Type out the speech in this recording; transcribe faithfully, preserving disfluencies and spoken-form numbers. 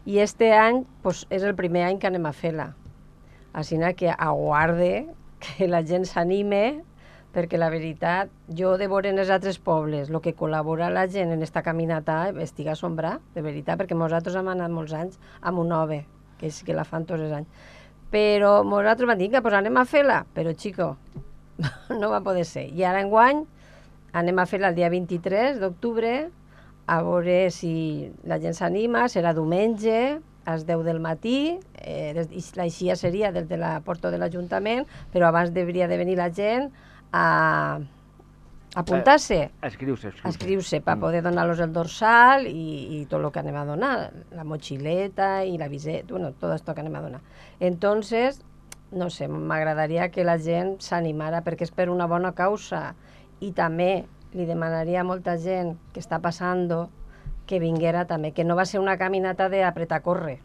I este any pues, és el primer any que anem a fer-la. Així que aguarde que la gent s'anime, perquè la veritat, jo de veure en els altres pobles, el que col·labora la gent en esta caminata, estic assombrat, de veritat, perquè nosaltres hem anat molts anys a Monove, que és que la fan tots els anys. Però nosaltres vam dir que pues anem a fer-la, però xico, no va poder ser. I ara enguany anem a fer-la el dia vint-i-tres d'octubre, a veure si la gent s'anima, serà diumenge, a les deu del matí, eh, l'aixia seria des de la porta de l'Ajuntament, però abans hauria de venir la gent a apuntar-se, a escriure-se, a escriure-se per poder donar-los el dorsal i, i tot el que anem a donar, la motxileta i la viseta, bueno, tot això que anem a donar. Entonces, no sé, m'agradaria que la gent s'animara perquè és per una bona causa i també li demanaria a molta gent que està passant que vinguera també, que no va ser una caminata d'apretar a córrer.